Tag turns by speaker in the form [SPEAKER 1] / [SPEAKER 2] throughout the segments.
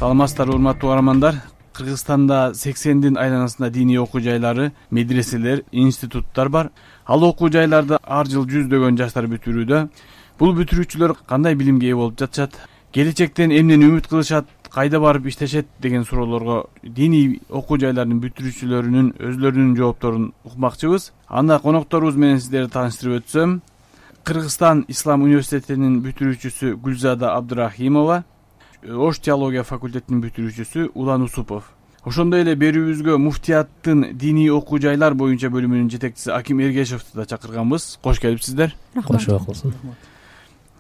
[SPEAKER 1] Саламатсыздарбы урматтуу каармандар. Кыргызстанда 80дин айланасында диний окуу жайлары, медреселер, институттар бар. Ал окуу жайларды ар жыл жүздөгөн жаштар бүтүрүүдө. Бул бүтүрүүчүлөр кандай билимге ээ болуп жатышат? Келечектен эмнени үмүт кылышат? Кайда барып иштешет деген суроолорго диний окуу жайлардын бүтүрүүчүлөрүнүн өзлөрүнүн жоопторун укмакчыбыз. Анда конокторубуз менен сиздерди тааныштырып өтсөм, Кыргызстан Ислам университетинин бүтүрүүчүсү Гүлзада Абдырахимова, Ош теология факультетинин бүтүрүүчүсү Улан Усупов. Ошондой эле берүүбүзгө муфтияттын диний окуу жайлар боюнча бөлүмүнүн жетекчиси Аким Эргешевди да чакырганбыз. Кош келипсиздер.
[SPEAKER 2] Кош болсун.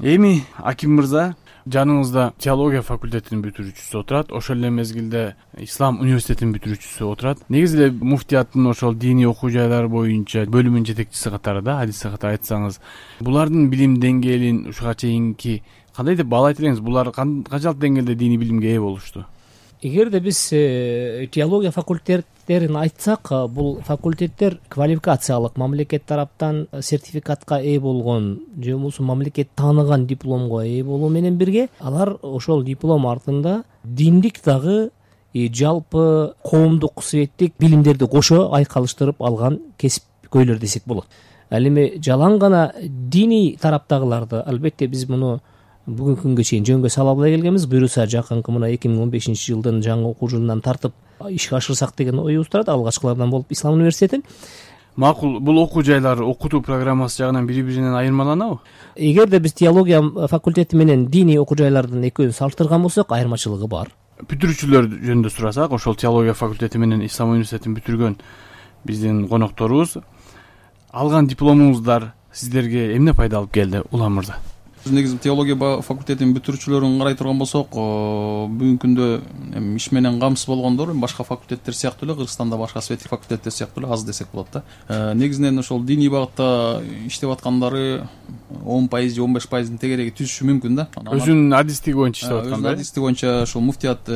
[SPEAKER 1] Эми Аким мырза, жаныңызда теология факультетинин бүтүрүүчүсү отурат, ошол эле мезгилде Ислам университетинин бүтүрүүчүсү отурат. Негизи эле муфтияттын ошол диний окуу жайлар боюнча бөлүмүнүн жетекчиси катарында хадис катары айтсаңыз, булардын билим деңгээлин ушуга чейинки кандай деп баалайт элеңиз? Булар канчалык деңгээлде диний билимге ээ болушту?
[SPEAKER 2] Эгерде биз теология факультеттерин айтсак, бул факультеттер квалификациялык мамлекет тараптан сертификатка ээ болгон же болбосо мамлекет тааныган дипломго ээ болуу менен бирге, алар ошол диплом артында диндик дагы жалпы коомдук светтик билимдерди кошо айкалыштырып алган кесипкөйлөр десек болот. Ал эми жалаң гана диний тараптагыларды албетте биз муну бүгүнкү күнгө чейин жөнгө сала албай келгенбиз. Буюрса жакынкы мына 2015-жылдын жаңы окуу жылынан тартып ишке ашырсак деген оюбуз турат. Алгачкылардан болуп Ислам университети.
[SPEAKER 1] Макул, бул окуу жайлар окутуу программасы жагынан бири-биринен айырмаланабы?
[SPEAKER 2] Эгерде биз теология факультети менен диний окуу жайлардын экөөнүн салыштырган болсок, айырмачылыгы бар.
[SPEAKER 1] Бүтүрүүчүлөр жөнүндө сурасак, ошол теология факультети менен Ислам университетин бүтүргөн биздин конокторубуз, алган дипломуңуздар сиздерге эмне пайда алып келди, Улан мырза?
[SPEAKER 3] Негизи теология факультетинин бүтүрүүчүлөрүн карай турган болсок, бүгүнкү күндө иш менен камсыз болгондор башка факультеттер сыяктуу эле, Кыргызстанда башка светтик факультеттер сыяктуу эле аз десек болот да. Негизинен ошол диний багытта иштеп аткандары 10% же 15%дын тегереги түзүшү мүмкүн да.
[SPEAKER 1] Өзүнүн адистиги боюнча иштеп атканда.
[SPEAKER 3] Өзүнүн адистиги боюнча ошол муфтият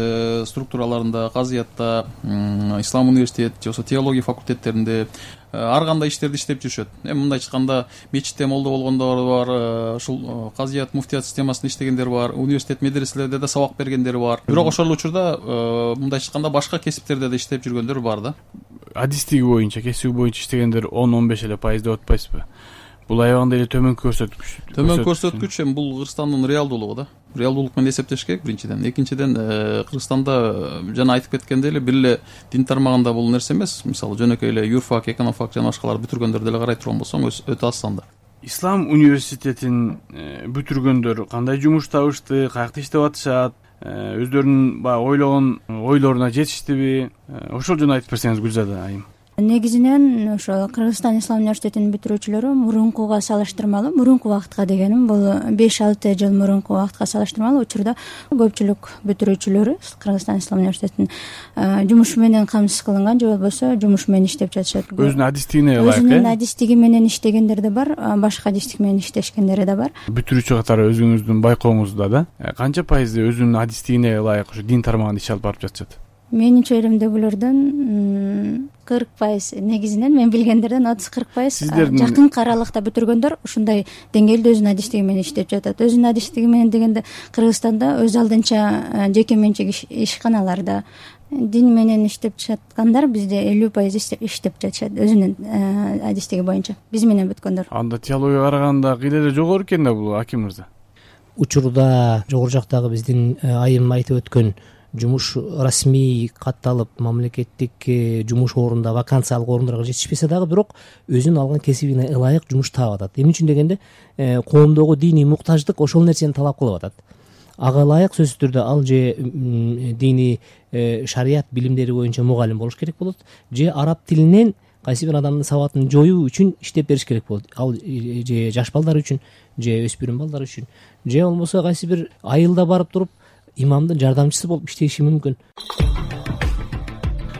[SPEAKER 3] структураларында, казыятта, Ислам университет же болбосо теология факультеттеринде ар кандай иштерди иштеп жүрүшөт. Эми мындай айтканда, мечитте молдо болгондор бар, ушул казыят, муфтият системасында иштегендер бар, университет, медреселерде да сабак бергендер бар. Бирок ошол учурда мындай айтканда башка кесиптерде да иштеп жүргөндөр бар да.
[SPEAKER 1] Адистиги боюнча, кесиби боюнча иштегендер 10-15 эле пайыз деп атпайсызбы? Бул аябагандай эле төмөнкү көрсөткүч.
[SPEAKER 3] Төмөнкү көрсөткүч эми бул Кыргызстандын реалдуулугу да. Реалдуулук менен эсептеш керек биринчиден. Экинчиден, Кыргызстанда жана айтып кеткендей эле бир эле дин тармагында бул нерсе эмес. Мисалы жөнөкөй эле юрфак, экономфак жана башкалар бүтүргөндөрдү эле карай турган болсоң, өтө аз санда.
[SPEAKER 1] Ислам университетин бүтүргөндөр кандай жумуш табышты, каякта иштеп атышат, өздөрүнүн баягы ойлогон ойлоруна жетиштиби? Ошол жөнүндө айтып берсеңиз, Гүлзада айым.
[SPEAKER 4] Негизинен ошо Кыргызстан Ислам университетинин бүтүрүүчүлөрү мурункуга салыштырмалуу, мурунку убакытка дегеним бул 5-6 жыл мурунку убакытка салыштырмалуу учурда көпчүлүк бүтүрүүчүлөрү Кыргызстан Ислам университетинин жумушу менен камсыз кылынган же болбосо жумуш менен иштеп жатышат.
[SPEAKER 1] Өзүнүн адистигине ылайык.
[SPEAKER 4] Өзүнүн адистиги менен иштегендер да бар, башка адистик менен иштешкендери да бар.
[SPEAKER 1] Бүтүрүүчү катары өзүңүздүн байкооңузда да канча пайызы өзүнүн адистигине ылайык ушу дин тармагында иш алып барып жатышат?
[SPEAKER 4] Менин чөйрөмдөгүлөрдөн 40%, негизинен мен билгендерден 30-40%. Жакынкы аралыкта бүтүргөндөр ушундай деңгээлде өзүнүн адистиги менен иштеп жатат. Өзүнүн адистиги менен дегенде Кыргызстанда өз алдынча жеке менчик ишканаларда дин менен иштеп жаткандар бизде 50% иштеп жатышат өзүнүн адистиги боюнча. Биз менен бүткөндөр.
[SPEAKER 1] Анда теологияга караганда кыйла эле жогору экен да бул, Аким мырза.
[SPEAKER 2] Учурда жогору жактагы биздин айым айтып өткөн жумуш расмий катталып, мамлекеттик жумуш орунда, вакансиялык орундарга жетишпесе дагы, бирок өзүнүн алган кесибине ылайык жумуш таап атат. Эмне үчүн дегенде, коомдогу диний муктаждык ошол нерсени талап кылып атат. Ага ылайык сөзсүз түрдө ал же диний шарият билимдери боюнча мугалим болуш керек болот, же араб тилинен кайсы бир адамдын сабатын жоюу үчүн иштеп бериш керек болот. Ал же жаш балдар үчүн, же өспүрүм балдар үчүн, же болбосо кайсы бир айылда барып туруп имамдын жардамчысы болуп иштеши мүмкүн.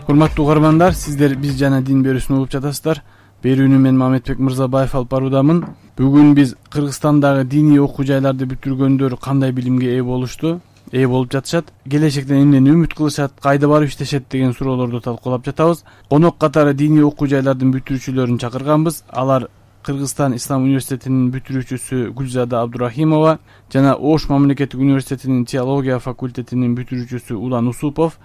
[SPEAKER 1] Урматтуу угармандар, сиздер биз жана дин берүүсүн угуп жатасыздар. Берүүнү мен Мамедбек Мырзабаев алып баруудамын. Бүгүн биз Кыргызстандагы диний окуу жайларды бүтүргөндөр кандай билимге ээ болушту, ээ болуп жатышат, келечектен эмнени үмүт кылышат, кайда барып иштешет деген суроолорду талкуулап жатабыз. Конок катары диний окуу жайлардын бүтүрүүчүлөрүн чакырганбыз. Алар Кыргызстан Ислам университетинин бүтүрүүчүсү Гүлзада Абдурахимова жана Ош мамлекеттик университетинин теология факультетинин бүтүрүүчүсү Улан Усупов,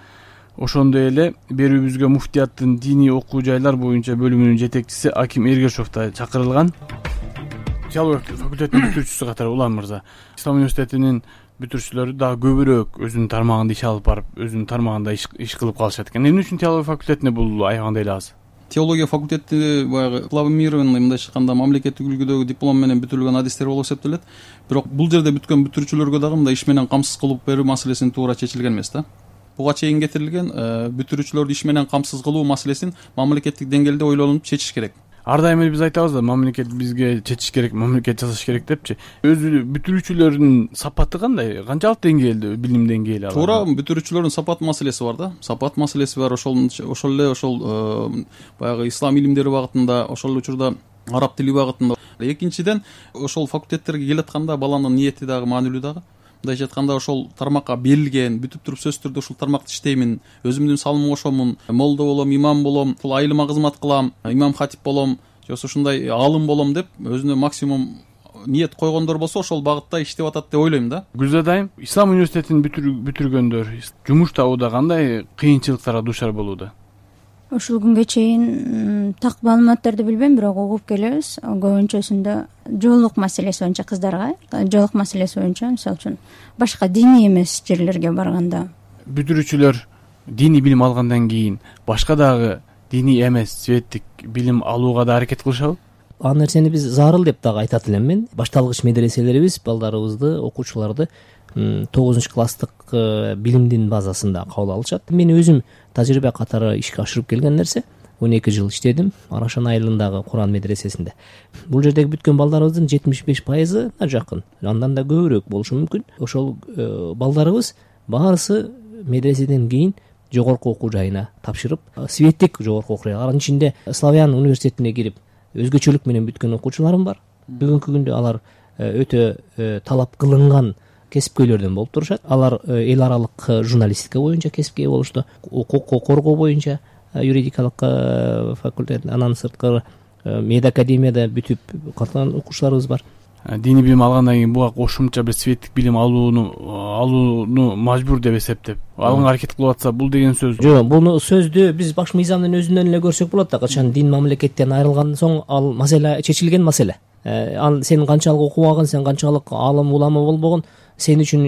[SPEAKER 1] ошондой эле берүүбүзгө муфтияттын диний окуу жайлар боюнча бөлүмүнүн жетекчиси Аким Эргешов да чакырылган. Теология факультетинин бүтүрүүчүсү катары Улан мырза, Ислам университетинин бүтүрүүчүлөрү дагы көбүрөөк өзүнүн тармагында иш алып барып, өзүнүн тармагында иш кылып калышат экен. Эмне үчүн теология факультетине бул аябагандай эле аз?
[SPEAKER 3] Теология факультети баягы плавомированный, мындайча айтканда мамлекеттик үлгүдөгү диплом менен бүтүрүлгөн адистер болуп эсептелет. Бирок бул жерде бүткөн бүтүрүүчүлөргө дагы мындай иш менен камсыз кылып берүү маселесин туура чечилген эмес да. Буга чейин кетирилген бүтүрүүчүлөрдү иш менен камсыз кылуу маселесин мамлекеттик деңгээлде ойлонуп чечиш керек.
[SPEAKER 1] Ар дайым эле биз айтабыз да, мамлекет бизге чечиш керек, мамлекет жасаш керек депчи. Өзү бүтүрүүчүлөрдүн сапаты кандай? Канчалык деңгээлде билим деңгээли алар?
[SPEAKER 3] Туура, бүтүрүүчүлөрдүн сапат маселеси бар да. Сапат маселеси бар. Ошол эле баягы ислам илимдери багытында, ошол учурда араб тили багытында. Экинчиден, ошол факультеттерге келатканда баланын ниети дагы маанилүү дагы. Мындайча айтканда, ошол тармакка берилген, бүтүп туруп сөзсүз түрдө ушул тармакта иштеймин, өзүмдүн салымымды кошомун, молдо болом, имам болом, ушул айылыма кызмат кылам, имам хатип болом, же болбосо ушундай аалым болом деп өзүнө максимум ниет койгондор болсо ошол багытта иштеп атат деп ойлойм да.
[SPEAKER 1] Гүлзадайым, Ислам университетин бүтүргөндөр жумуш табууда кандай кыйынчылыктарга дуушар болууда?
[SPEAKER 4] Ушул күнгө чейин так маалыматтарды билбейм, бирок угуп келебиз. Көбүнчөсүндө жоолук маселеси боюнча, кыздарга жоолук маселеси боюнча, мисалы үчүн башка диний эмес жерлерге барганда
[SPEAKER 1] бүтүрүүчүлөр диний билим алгандан кийин башка дагы диний эмес светтик билим алууга да аракет кылышабы?
[SPEAKER 2] Ал нерсени биз зарыл деп дагы айтат элем мен. Башталгыч медреселерибиз балдарыбызды, окуучуларды 9-класстык билимдин базасында кабыл алышат. Мен өзүм тажрыйба катары ишке ашырып келген нерсе. 12 жыл иштедим Арашан айылындагы Куран медресесинде. Бул жердеги бүткөн балдарыбыздын 75% жакын, андан да көбүрөөк болушу мүмкүн. Ошол балдарыбыз баарысы медреседен кийин жогорку окуу жайына тапшырып, светтик жогорку окуу жайы, анын ичинде Славян университетине кирип, өзгөчөлүк менен бүткөн окуучуларым бар. Бүгүнкү күндө алар өтө талап кылынган кесипкөйлөрдөн болуп турушат. Алар эл аралык журналистика боюнча кесипке болушту, укук коргоо боюнча юридикалык факультет, анан сырткары медакадемияда бүтүп калган окуучуларыбыз бар.
[SPEAKER 1] Диний билим алгандан кийин буга кошумча бир светтик билим алууну мажбур деп эсептеп алганга аракет кылып атса, бул деген сөз? Жок,
[SPEAKER 2] буну сөздү биз баш мыйзамдын өзүнөн эле көрсөк болот да. Качан дин мамлекеттен айрылгандан соң ал маселе чечилген маселе. Ал сен канчалык окубаган, сен канчалык алым улама болбогон, сен үчүн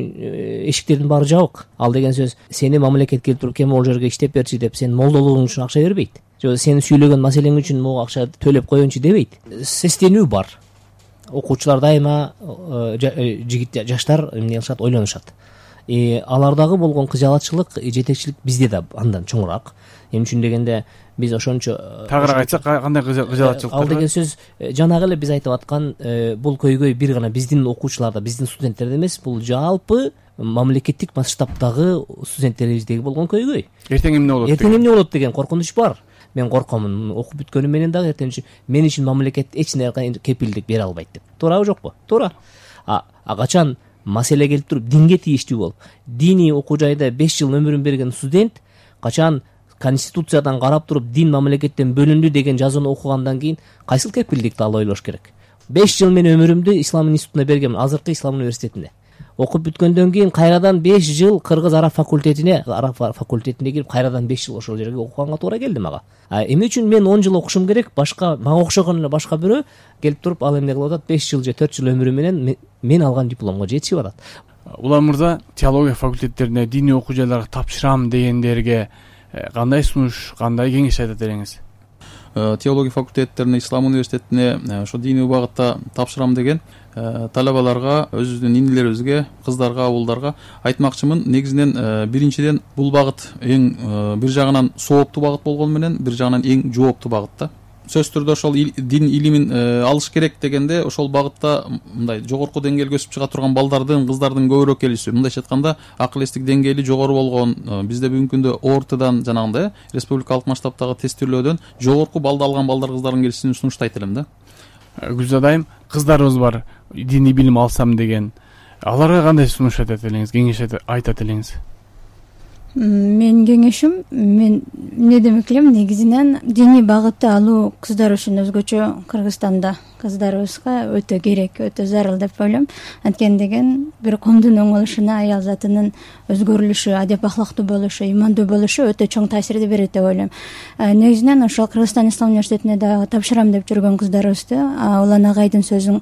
[SPEAKER 2] эшиктердин баары жабык. Ал деген сөз сени мамлекет келип туруп, кем могул жерге иштеп берчи деп сен молдолугуң үчүн акча бербейт. Же сен сүйлөгөн маселең үчүн могу акча төлөп коеюнчу дебейт. Сестенүү бар. Окуучулар дайыма жигит жаштар эмне кылышат, ойлонушат. Алардагы болгон кыжаалатчылык, жетекчилик бизде да андан чоңураак. Эмне үчүн дегенде биз ошончо
[SPEAKER 1] тагыраак айтсак, кандай кыжаалатчылык?
[SPEAKER 2] Ал деген сөз жанагы эле биз айтып аткан бул көйгөй бир гана биздин окуучуларда, биздин студенттерде эмес, бул жалпы мамлекеттик масштабтагы студенттерибиздеги болгон көйгөй.
[SPEAKER 1] Эртең эмне болот?
[SPEAKER 2] Эртең эмне болот деген коркунуч бар. Мен коркомун, окуп бүткөнүм менен дагы эртең мен үчүн мамлекет эч нерсе кепилдик бере албайт деп. Туурабы жокпу? Туура. Качан маселе келип туруп динге тийиштүү болуп, диний окуу жайда 5 жыл өмүрүн берген студент качан конституциядан карап туруп дин мамлекеттен бөлүндү деген жазууну окугандан кийин кайсыл кепилдикти ал ойлош керек? 5 жыл мен өмүрүмдү ислам институтуна бергем, азыркы ислам университетинде. Окуп бүткөндөн кийин кайрадан 5 жыл кыргыз араб факультетине кирип, кайрадан 5 жыл ошол жерге окуганга туура келди мага. Эмне үчүн мен 10 жыл окушум керек? Башка мага окшогон эле башка бирөө келип туруп ал эмне кылып атат? 5 жыл же 4 жыл өмүрү менен мен алган дипломго жетишип атат.
[SPEAKER 1] Улан мырза, теология факультеттерине диний окуу жайларга тапшырам дегендерге кандай сунуш, кандай кеңеш айтат элеңиз?
[SPEAKER 3] Теология факультеттерине, ислам университетине ошо диний багытта тапшырам деген талабаларга, өзүбүздүн инилерибизге, кыздарга, абулдарга айтмакчымын. Негизинен биринчиден бул багыт эң бир жагынан сооптуу багыт болгону менен, бир жагынан эң жооптуу багыт да. Сөзсүз түрдө ошол дин илимин алыш керек дегенде, ошол багытта мындай жогорку деңгээлге өсүп чыга турган балдардын, кыздардын көбүрөөк келиши. Мындайча айтканда, акыл эстик деңгээли жогору болгон, бизде бүгүнкү күндө ОРТдан жанагындай республикалык масштабтагы тестирлөөдөн жогорку балды алган балдар, кыздардын келишин сунуштайт элем да.
[SPEAKER 1] Гүлзадайым, кыздарыбыз бар, диний билим алсам деген. Аларга кандай сунуш айтат элеңиз, кеңеш айтат элеңиз?
[SPEAKER 4] Менин кеңешим, мен эмне демек элем, негизинен диний багытты алуу кыздар үчүн өзгөчө Кыргызстанда кыздарыбызга өтө керек, өтө зарыл деп ойлойм. Анткени деген бир коомдун оңолушуна аял затынын өзгөрүлүшү, адеп ахлактуу болушу, имандуу болушу өтө чоң таасирди берет деп ойлойм. Негизинен ошол Кыргызстан Ислам университетине дагы тапшырам деп жүргөн кыздарыбызды Улан агайдын сөзүн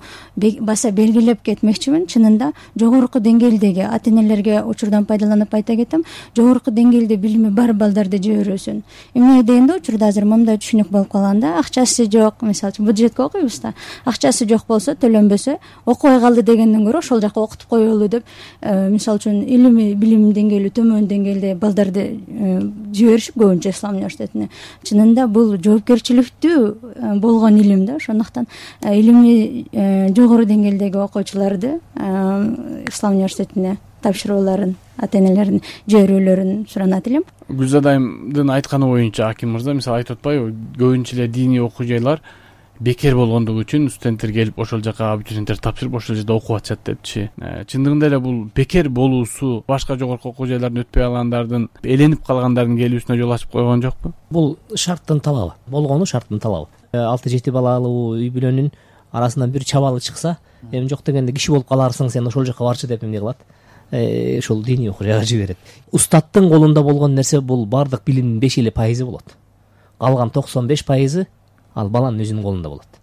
[SPEAKER 4] баса белгилеп кетмекчимин. Чынында жогорку деңгээлдеги ата-энелерге учурдан пайдаланып айта кетем, жогорку деңгээлде билими бар балдарды жиберүүсүн. Эмне дегенде учурда азыр мындай түшүнүк болуп калган да, акчасы жок, мисалы үчүн бюджетке окуйбуз да, акчасы жок болсо, төлөнбөсө окубай калды дегенден көрө ошол жака окутуп коелу деп, мисалы үчүн илими билим деңгээли төмөн деңгээлде балдарды жиберишип көбүнчө Ислам университетине. Чынында бул жоопкерчиликтүү болгон илим да, ошондуктан илимий жогору деңгээлдеги окуучуларды Ислам университетине тапшырууларын, ата-энелердин жиберүүлөрүн суранат элем.
[SPEAKER 1] Гүлзада айымдын айтканы боюнча, Аким мырза, мисалы айтып атпайбы, көбүнчө эле диний окуу жайлар бекер болгондугу үчүн студенттер келип ошол жака абитуриенттер тапшырып ошол жерде окуп атышат депчи. Чындыгында эле бул бекер болуусу башка жогорку окуу жайлардан өтпөй калгандардын, эленип калгандардын келүүсүнө жол ачып койгон жокпу?
[SPEAKER 2] Бул шарттын талабы, болгону шарттын талабы. 6-7 балалуу үй бүлөнүн арасынан бир чабалы чыкса, эми жок дегенде киши болуп каларсың, сен ошол жака барчы деп эмне кылат? Ошол диний окуу жайга жиберет. Устаттын колунда болгон нерсе бул бардык билимдин 5% болот. Калган 95% ал баланын өзүнүн колунда болот.